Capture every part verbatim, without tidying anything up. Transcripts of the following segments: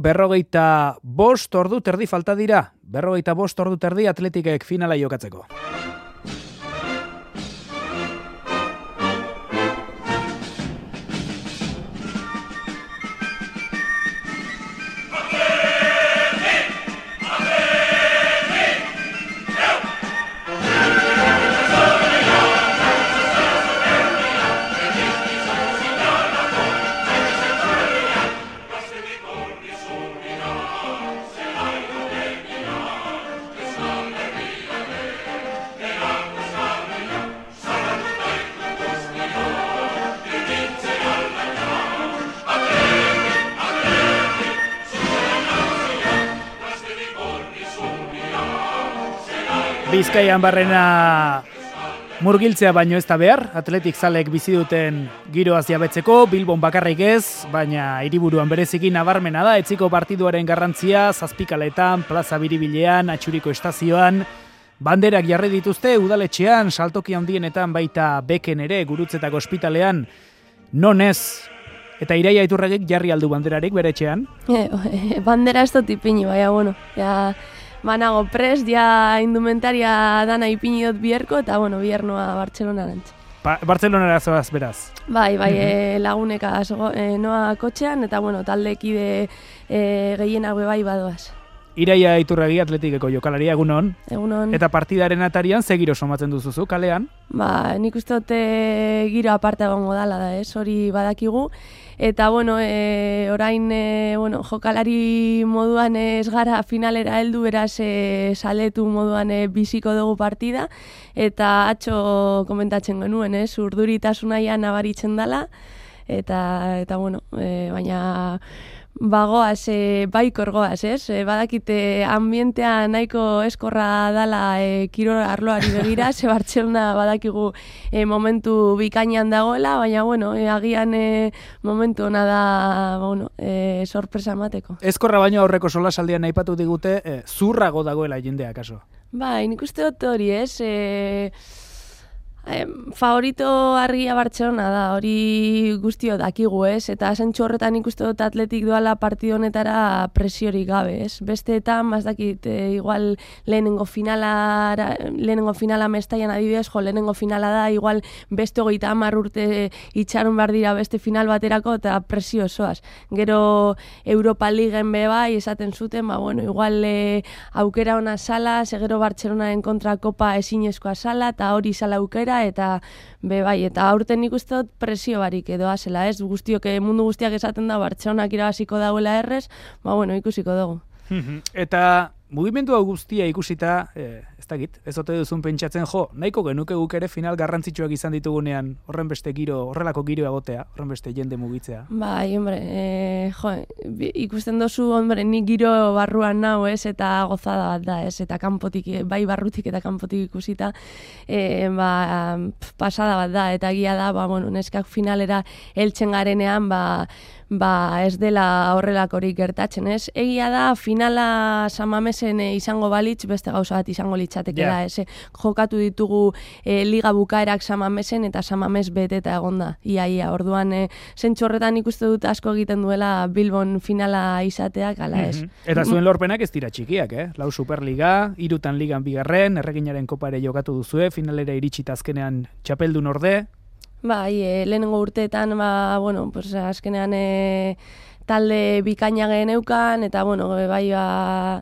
Berrogeita bost ordu terdi falta dira. Berrogeita bost ordu terdi Atletikek finala jokatzeko. Bizkaian barrena murgiltzea baino ez da behar, Atletik zalek bizi duten giroaz jabetzeko, Bilbon bakarrik ez, baina hiriburuan bereziki nabarmena da, etziko partiduaren garrantzia, zazpikaletan, plaza biribilean, atxuriko estazioan, banderak jarri dituzte, udaletxean, saltoki handienetan baita beken ere, gurutzetako ospitalean, non ez, eta Iraia Iturragik jarri aldu banderarik bere etxean? E, e, bandera ez dut ipini, baina, bueno, ja... Banago prest, ja indumentaria dana ipini dut biherko, eta, bueno, bihernoa Bartzelonarantz. Ba, Bartzelonara zoaz, beraz? Bai, bai, mm-hmm. e, laguneka e, noa kotxean, eta, bueno, taldekide e, gehienak bai badoaz. Iraia Iturragi Atletikeko jokalaria, egunon. Egunon. Eta partidaren atarian, ze giro somatzen duzuzu, kalean? Ba, nik uste dute giro aparte egongo dala da, ez, hori badakigu. Eta, bueno, e, orain, e, bueno, jokalari moduan ez gara finalera heldu, beraz e, saletu moduan e, biziko dugu partida. Eta atxo komentatzen genuen, ez, urduritasunaian nabaritzen dala. Eta, eta bueno, e, baina... Bagoaz, e, baikor goaz, ez? E, badakite ambientea nahiko eskorra dala e, kirol arloari begira, ze Bartzelona badakigu e, momentu bikainan dagoela, baina, bueno, e, agian e, momentu hona da, bueno, e, sorpresa emateko. Eskorra baino aurreko solasaldian aipatu digute, e, zurrago dagoela jendea, kaso? Bai, nik uste dut hori, ez? E, Eh, favorito argia Bartzelona da, hori guztio dakigu, ez? Eta zentsu horretan ikuste dut Atletik doala partido honetara presiorik gabe, ez? Besteetan, bazdakit, e, igual lehenengo finala, lehenengo finala mestaian adibidez, jo, lehenengo finala da, igual beste hogeita hamar urte itxaron behar dira beste final baterako, eta presio osoaz. Gero Europa Ligen be bai, esaten zuten, ba, bueno, igual e, aukera ona sala, segero Bartzelonaren kontra kopa ezinezkoa sala, eta hori sala aukera, eta be bai, eta aurten nik uste dut presio barik edoa zela, ez? Guztiok, mundu guztiak esaten da, Bartzelonak irabaziko dauela errez, ba bueno, ikusiko dugu. Eta mugimendu hau guztia ikusita, eh, ez dakit, ez ote duzun pentsatzen, jo, nahiko genuke guk ere final garrantzitsuak izan ditugunean, horren beste giro, horrelako giro egotea, horren beste jende mugitzea. Bai, hombre, e, jo, ikusten dozu, hombre, nik giro barruan nau, ez, eta gozada bat da, ez, eta kanpotik, bai barrutik eta kanpotik ikusita, e, ba, pasada bat da, eta egia da, ba, bueno, neskak finalera heltzen garenean, ba, ba ez dela horrelakorik gertatzen, ez? Egia da, finala Samamesen e, izango balitz, beste gauza bat izango litzatekela, yeah. ez? Jokatu ditugu e, liga bukaerak Samamesen eta Samames beteta egonda, ia, ia, orduan e, zentsu horretan ikuste dut asko egiten duela Bilbon finala izateak, ala ez. Mm-hmm. Eta zuen lorpenak ez dira txikiak, eh? Lau Superliga, hirutan ligan bigarren, Erreginaren kopare jokatu duzue, finalera iritsita azkenean txapeldun orde. Bai, e, lehenengo urteetan, ba, bueno, pues, azkenean e, talde bikaina geneukan, eta, bueno, bai, ba,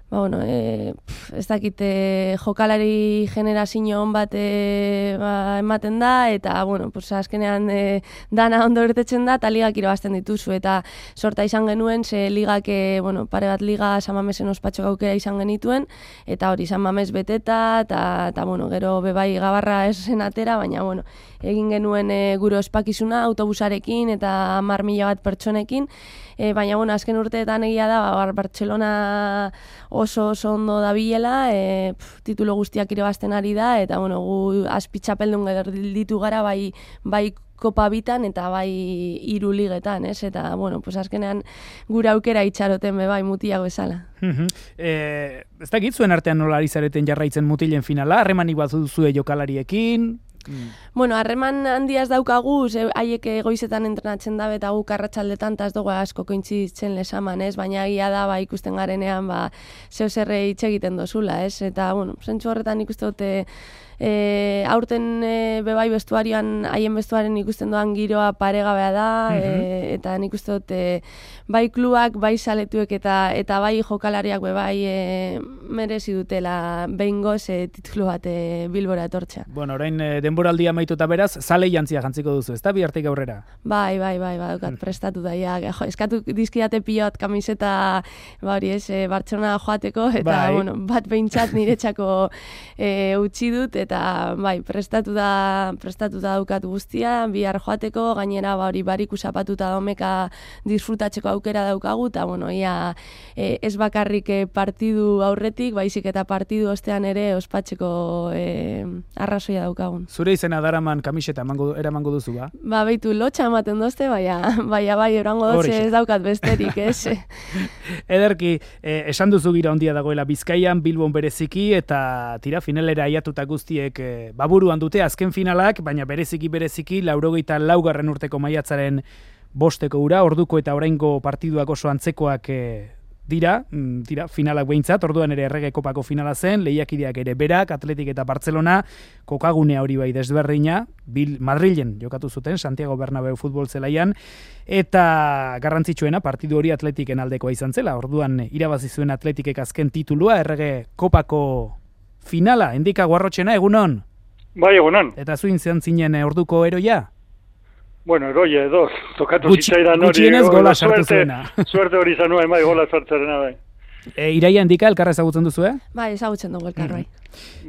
ba, bueno, e, pf, ez dakite jokalari generazio hon bat e, ba, ematen da, eta, bueno, pues, azkenean e, dana ondo irtetzen da, eta ligak irabazten dituzu, eta sorta izan genuen, ze ligak, e, bueno, pare bat liga Samamesen ospatxo gaukera izan genituen, eta hori Samames beteta, eta, eta bueno, gero bebai gabarra ez zen atera, baina, bueno, egin genuen e, gure ospakizuna autobusarekin eta hamar mila bat pertsonekin, e, baina bueno, azken urteetan egia da, ba, Bartzelona oso oso ondo dabilela, e, pf, titulo guztiak irabazten ari da, eta bueno, gu azpitxapeldun ditu gara, bai, bai kopa bitan eta bai hiru ligetan, ez? Eta, bueno, pues azkenean gure aukera itxaroten be bai mutiago bezala. eh, ez dakit zuen artean nola ari zareten jarraitzen mutilen finala, harremanik bat duzue jokalariekin, Mm. Bueno, harreman handiaz daukagu, ze haiek goizetan entrenatzen dabe eta guk arratsaldetan ta ez dugu asko kointziditzen lesaman, ez? Baina egia da ba ikusten garenean ba zeu zerre hitz egiten dozula, ez? Eta bueno, zentzu horretan ikuste dute E, aurten e, bebai bestuarioan, haien bestuaren ikusten doan giroa paregabea da, mm-hmm. e, eta nik uste dut e, bai kluak, bai saletuek eta eta bai jokalariak bebai e, merezi dutela behingoz e, titulu bat e, Bilbora etortzea. Bueno, orain e, denboraldia amaituta beraz, zale jantzia jantziko duzu, ez da bihartik aurrera? Bai, bai, bai, bai, daukat prestatu da, ja, jo, eskatu dizkidate pilot kamiseta, ba hori ez, e, Bartzelona joateko, eta bai. bueno, bat behintzat niretzako e, utzi dut, eta Eta, bai, prestatu da, prestatu da daukat guztia, bihar joateko, gainera ba, hori bariku zapatuta domeka disfrutatzeko aukera daukagu, eta, bueno, ia e, ez bakarrik e, partidu aurretik, baizik eta partidu ostean ere ospatzeko e, arrazoia daukagun. Zure izena daraman kamiseta emango, eramango duzu, ba? Ba, beitu, lotxa ematen dozte, baina, baina bai, erango dotze ez daukat besterik, ez? Ederki, eh, esan duzu gira ondia dagoela Bizkaian, Bilbon bereziki, eta tira finalera aiatuta guzti baburuan dute azken finalak, baina bereziki bereziki laurogeita laugarren urteko maiatzaren bosteko ura, orduko eta oraingo partiduak oso antzekoak e, dira, dira, finalak behintzat, orduan ere Errege Kopako finala zen, lehiakideak ere berak, Atletik eta Bartzelona, kokagunea hori bai desberdina, Bil, Madrilen jokatu zuten, Santiago Bernabeu futbol zelaian, eta garrantzitsuena partidu hori Atletiken aldekoa izan zela, orduan irabazi zuen Atletikek azken titulua, Errege Kopako finala, endika guarrotxena, egunon? Bai, egunon. Eta zuin zean zinen orduko eroia? Bueno, eroia edo, tokatu Gutxi, zitzaidan hori. Gutxienez gola sartu zuena. Suerte hori zanuen, bai, gola sartzerena, bai. E, iraia endika, elkarra ezagutzen duzu, eh? Bai, ezagutzen dugu elkar, bai.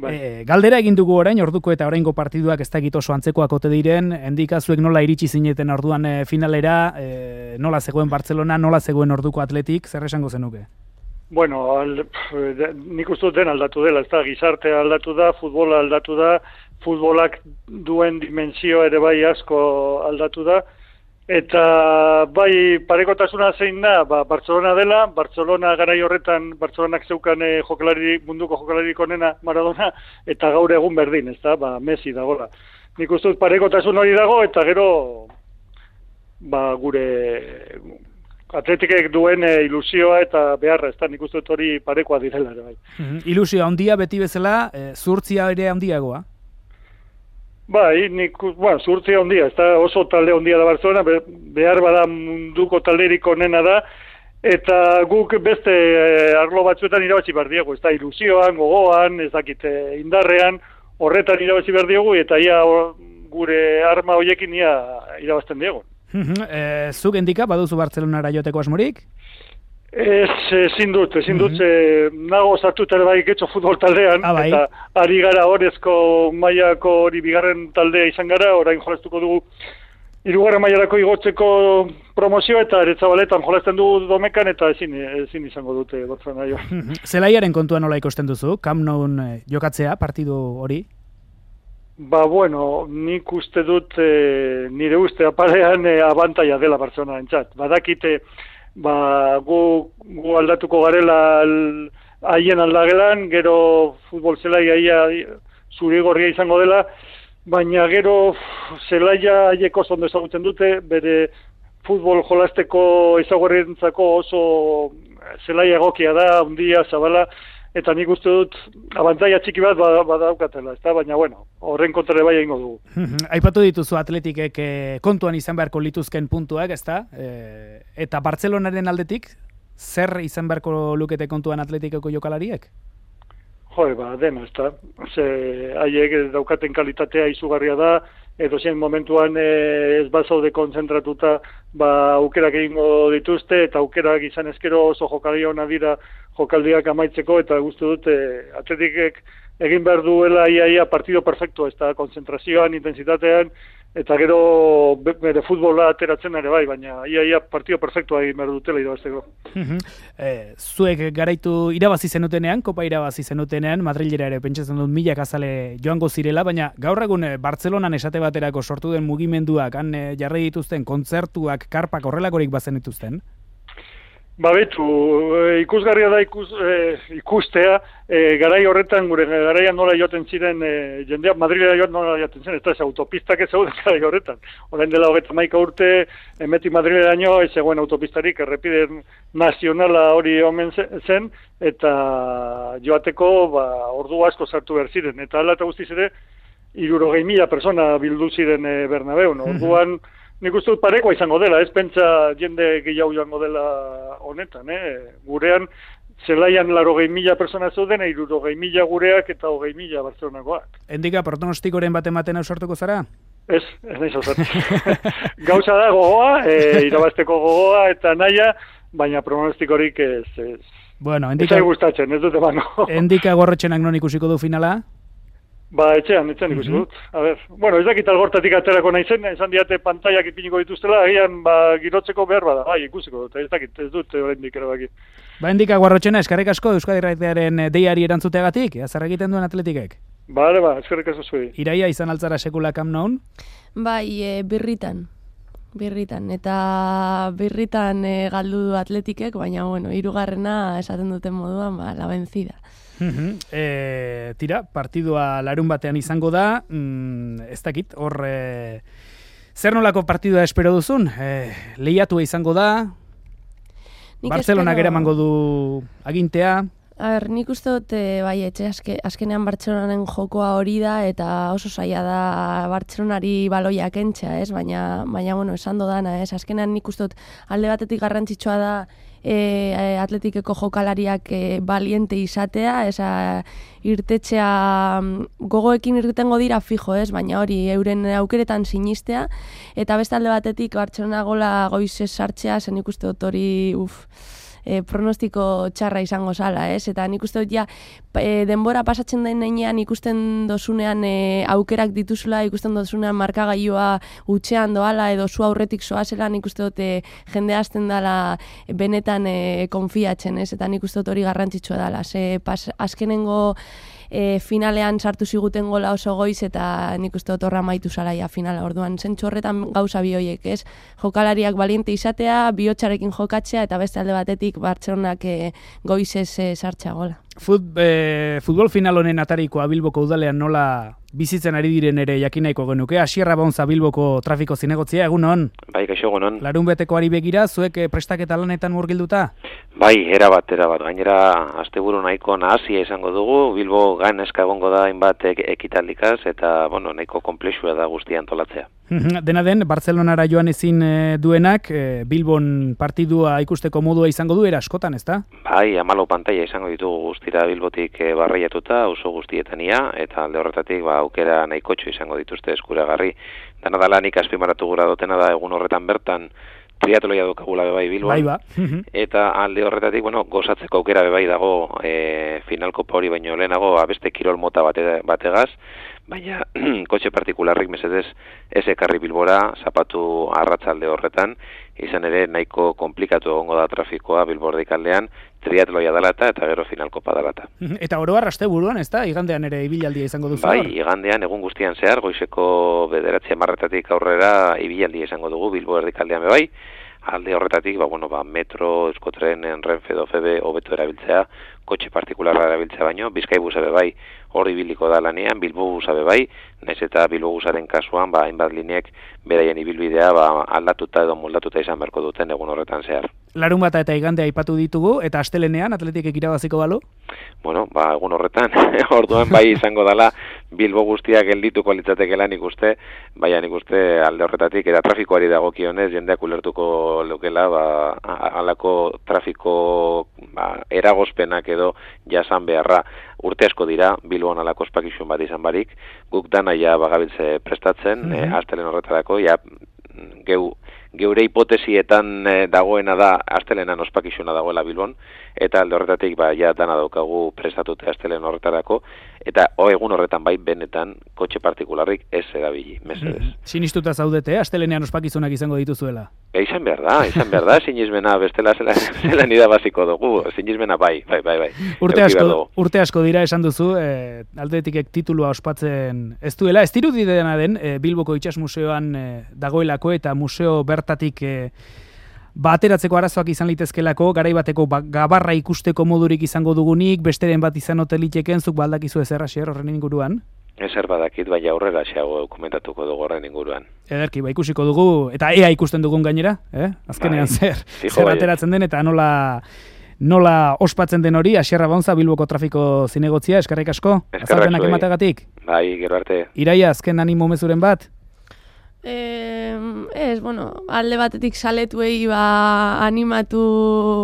bai. E, galdera egin dugu orain, orduko eta oraingo partiduak ez dakit oso antzekoak ote diren, endika zuek nola iritsi zineten orduan e, finalera, e, nola zegoen Bartzelona, nola zegoen orduko Atletik, zer esango zenuke? Bueno, al, de, nik uste dut den aldatu dela, ez da, gizartea aldatu da, futbola aldatu da, futbolak duen dimensio ere bai asko aldatu da, eta bai parekotasuna zein da, ba, Bartzelona dela, Bartzelona garai horretan, Bartzelonak zeukan e, jokalari, munduko jokalarik onena Maradona, eta gaur egun berdin, ez da, ba, Messi dagoela. Nik uste dut parekotasun hori dago, eta gero, ba, gure... Atletikek duen e, ilusioa eta beharra, ez da, nik uste dut hori parekoa direla ere bai. Mm-hmm. Ilusioa handia beti bezala, e, zurtzia ere handiagoa? Bai, nik, bueno, zurtzia handia, ez da, oso talde handia da Barcelona, be, behar bada munduko talderik onena da, eta guk beste e, arlo batzuetan irabazi behar diegu, ez da, ilusioan, gogoan, ez dakit, indarrean, horretan irabazi behar diegu, eta ia or, gure arma horiekin ia irabazten diegu. E, zuk endika, baduzu Bartzelonara joteko asmorik? Ez, ezin dut, ezin dut, mm-hmm. nago sartuta ere bai getxo futbol taldean, ah, bai. eta ari gara horrezko mailako hori bigarren taldea izan gara, orain jolaztuko dugu hirugarren mailarako igotzeko promozio, eta Eretzabaletan jolazten dugu domekan, eta ezin, ezin izango dute Bartzelona jo. Zelaiaren kontua nola ikusten duzu, Camp Nou jokatzea, partidu hori? Ba, bueno, nik uste dut, e, nire uste apalean e, abantaia dela Bartzelona entzat. Badakite, ba, gu, gu aldatuko garela haien aldagelan, gero futbol zelaia ia zurigorria izango dela, baina gero zelaia haieko ondo ezagutzen dute, bere futbol jolasteko ezagorrentzako oso zelaia egokia da, handia, zabala, eta nik uste dut abantaia txiki bat badaukatela, ezta? Baina, bueno, horren kontra bai egingo dugu. Aipatu dituzu Atletikek eh, kontuan izan beharko lituzken puntuak, ezta? Eh, eta Bartzelonaren aldetik, zer izan beharko lukete kontuan Atletikeko jokalariek? Jo, ba, dena, ezta? Ze, haiek daukaten kalitatea izugarria da, edo zen momentuan eh, ez bazaude konzentratuta, ba, aukerak egingo dituzte, eta aukerak izan ezkero oso jokalari hona dira jokaldiak amaitzeko, eta guztu dut eh, Atletikek egin behar duela ia, ia partido perfecto, ez da, konzentrazioan, intensitatean, eta gero bere futbola ateratzen ere bai, baina ia, ia partido perfectoa egin behar dutela irabazteko. e, zuek garaitu irabazi zenutenean, kopa irabazi zenutenean, Madrilera ere pentsatzen dut milak azale joango zirela, baina gaur egun Bartzelonan esate baterako sortu den mugimenduak, han jarri dituzten kontzertuak, karpak horrelakorik bazen dituzten? Ba betu, ikusgarria da ikus, e, ikustea, e, garai horretan, gure garaian nola joaten ziren, e, jendeak Madrilera joaten nola joaten zen, ez da, ez autopistak ez zeuden garai horretan. Orain dela hogeita hamaika urte, emetik Madrileraino ez zegoen autopistarik, errepide nazionala hori omen zen, eta joateko ba, ordu asko sartu behar ziren. Eta ala eta guztiz ere, hirurogei mila persona bildu ziren e, Bernabeun. Orduan, nik uste dut parekoa izango dela, ez pentsa jende gehiago joango dela honetan, eh? Gurean, zelaian larogei mila persona zeuden, hirurogei mila gureak eta hogei mila Bartzelonakoak. Endika, pronostikoren bat ematen ausartuko zara? Ez, ez nahi zauzat. Gauza da gogoa, e, irabazteko gogoa eta naia, baina pronostikorik ez. ez. Bueno, endika... Ez gustatzen, ez dute bano. Endika gorrotxenak non ikusiko du finala? Ba, etxean, etxean ikusi dut. A ber, bueno, ez dakit algortatik aterako nahi zen, esan diate pantaiak ipiniko dituztela, agian ba, girotzeko behar bada, bai, ikusiko dut, ez dakit, ez dut oraindik erabaki. Ba, Endika Guarrotxena, eskerrik asko Euskadi Irratiaren deiari erantzuteagatik, zer egiten duen atletikek? Bale, ba, eskerrik asko zuei. Iraia izan altzara sekula Camp Nou? Bai, e, birritan. Birritan, eta birritan e, galdu du atletikek, baina, bueno, hirugarrena esaten duten moduan, ba, la vencida. Uh-huh. E, tira, partidua larun batean izango da, mm, ez dakit, hor, e, zer nolako partidua espero duzun? E, lehiatua izango da, Bartzelonak espero... eramango du agintea? A ber, nik uste dut, e, bai, etxe, azke, azkenean Bartzelonanen jokoa hori da, eta oso zaila da Bartzelonari baloia kentzea, ez? Baina, baina, bueno, esan dodana, ez? Azkenean nik uste dut alde batetik garrantzitsua da e, atletikeko jokalariak e, baliente izatea, eza irtetxea gogoekin irtengo dira fijo, ez? Baina hori, euren aukeretan sinistea, eta beste alde batetik Bartzelona gola goizez sartzea, zen nik uste dut hori, uf... E, pronostiko txarra izango zala, ez? Eta nik uste dut ja, e, denbora pasatzen den nenean ikusten dozunean e, aukerak dituzula, ikusten dozunean markagailua utxean doala edo zu aurretik zoazela, nik uste dut e, jende hasten dala benetan e, konfiatzen, ez? Eta nik uste dut hori garrantzitsua dala. Ze pas, azkenengo e, finalean sartu ziguten gola oso goiz eta nik uste dut horra maitu zalaia finala. Orduan, zentsu horretan gauza bi horiek, ez? Jokalariak baliente izatea, bihotxarekin jokatzea eta beste alde batetik Bartzelonak e, goizez e, sartzea gola. Fut, e, futbol final honen atarikoa Bilboko udalean nola bizitzen ari diren ere jakinaiko genuke. Asierra Bonza Bilboko trafiko zinegotzia, egunon? Bai, kaixo egunon. Larun beteko ari begira, zuek prestaketa lanetan murgilduta? Bai, erabat, erabat. Gainera, asteburu nahiko nahazia izango dugu, Bilbo gain eska egongo da hainbat ekitaldikaz, eta, bueno, nahiko komplexua da guztia antolatzea. Dena den, Bartzelonara joan ezin e, duenak, e, Bilbon partidua ikusteko modua izango du, era askotan, ezta? Bai, hamalau pantaila izango ditugu guztira Bilbotik e, barraiatuta, oso guztietania, eta alde horretatik ba, aukera nahikotxo izango dituzte eskuragarri. Dana da lanik azpimarratu gura dutena da egun horretan bertan triatloia dukagula bebai Bilbon. Bai ba. Eta alde horretatik, bueno, gozatzeko aukera bebai dago e, finalkopa hori baino lehenago abeste kirol mota bate, bategaz, baina kotxe partikularrik mesedez ez ekarri Bilbora, zapatu arratzalde horretan, izan ere nahiko komplikatu egongo da trafikoa Bilbordik aldean, triatloia dalata eta gero finalkopa dalata. Eta oro arraste buruan, ez da? Igandean ere ibilaldia izango duzu? Bai, igandean egun guztian zehar, goizeko bederatzi hamarretatik aurrera ibilaldia izango dugu Bilbo erdikaldean bebai, alde horretatik, ba, bueno, ba, metro, euskotren, Renfe edo F B hobeto erabiltzea, kotxe partikularra erabiltzea baino, Bizkaibusa bebai hori biliko da lanean, Bilbobusa bebai, naiz eta Bilbobusaren kasuan, ba, hainbat lineek beraien ibilbidea ba, aldatuta edo moldatuta izan beharko duten egun horretan zehar. Larun bata eta igandea aipatu ditugu, eta astelenean atletikek irabaziko balu? Bueno, ba, egun horretan, orduan bai izango dala Bilbo guztiak geldituko litzatekela nik uste, baina nik uste alde horretatik, eta trafikoari dagokionez jendeak ulertuko lukela, ba, halako trafiko ba, eragozpenak edo jasan beharra urte asko dira, Bilbon halako ospakizun bat izan barik, guk dana ja bagabiltze prestatzen, mm-hmm. e, astelen horretarako, ja, geu, geure hipotesietan e, dagoena da astelenan ospakizuna dagoela Bilbon, eta alde horretatik ba, ja dana daukagu prestatute astelen horretarako, eta o egun horretan bai benetan kotxe partikularrik ez erabili, mesedez. Mm-hmm. Sinistuta zaudete, astelenean ospakizunak izango dituzuela? E, izan behar da, izan behar da, sinismena bestela zela, zela nida baziko dugu, sinismena bai, bai, bai, bai. Urte asko, urte asko dira esan duzu, e, aldetikek titulua ospatzen ez duela, ez dirudi dena den, e, Bilboko Itsas Museoan e, dagoelako eta museo bertatik e, ba, ateratzeko arazoak izan litezkelako, garaibateko ba, gabarra ikusteko modurik izango dugunik, besteren bat izan hoteliteken, zuk baldakizu ezer Asier horren inguruan? Ezer badakit, bai aurrera xeago komentatuko dugu horren inguruan. Ederki, ba, ikusiko dugu, eta ea ikusten dugun gainera, eh? Azkenean bai, zer, fijo, zer bai. ateratzen den, eta nola... Nola ospatzen den hori, Asier Abaunza Bilboko trafiko zinegotzia, eskerrik asko, azalpenak emategatik. Bai, gero arte. Iraia, azken animo mezuren bat? Eh, ez, bueno, alde batetik saletuei ba, animatu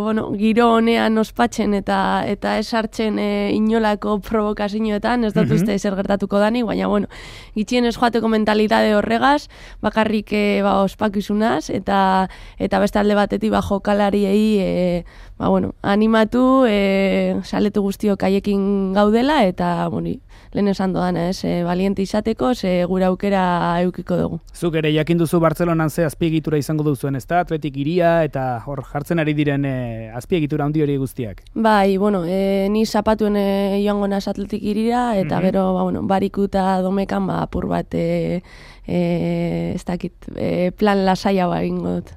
bueno, giro honean ospatzen eta eta esartzen e, inolako provokazioetan, ez dut uste zer gertatuko danik, baina bueno, gitxien ez joateko mentalitate horregaz, bakarrik e, ba, ospakizunaz, eta eta beste alde batetik ba, jokalariei e, ba, bueno, animatu, e, saletu guztiok haiekin gaudela, eta bueno, lehen esan doan, ez, e, baliente izateko, ze gure aukera eukiko dugu. Zuk ere jakin duzu Bartzelonan ze azpiegitura izango duzuen, ezta? Atletik iria eta hor jartzen ari diren e, azpiegitura handi hori guztiak. Bai, bueno, e, ni zapatuen e, joango naz Atletik irira, eta mm-hmm. gero, ba, bueno, bariku eta domekan, ba, apur bat, e, e, ez dakit, e, plan lasaia ba egingo dut.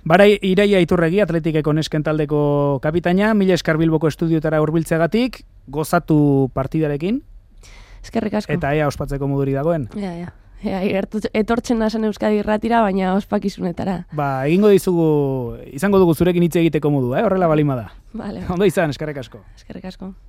Barai, Iraia Iturregi, Atletikeko nesken taldeko kapitaina, mila esker Bilboko estudiotara hurbiltzeagatik, gozatu partidarekin. Eskerrik asko. Eta ea ospatzeko moduri dagoen. Ja, ja. Ja, etortzen nazen Euskadi Irratira, baina ospakizunetara. Ba, egingo dizugu, izango dugu zurekin hitz egiteko modu, eh? Horrela balima da. Vale. Ondo izan, eskerrik asko. Eskerrik asko.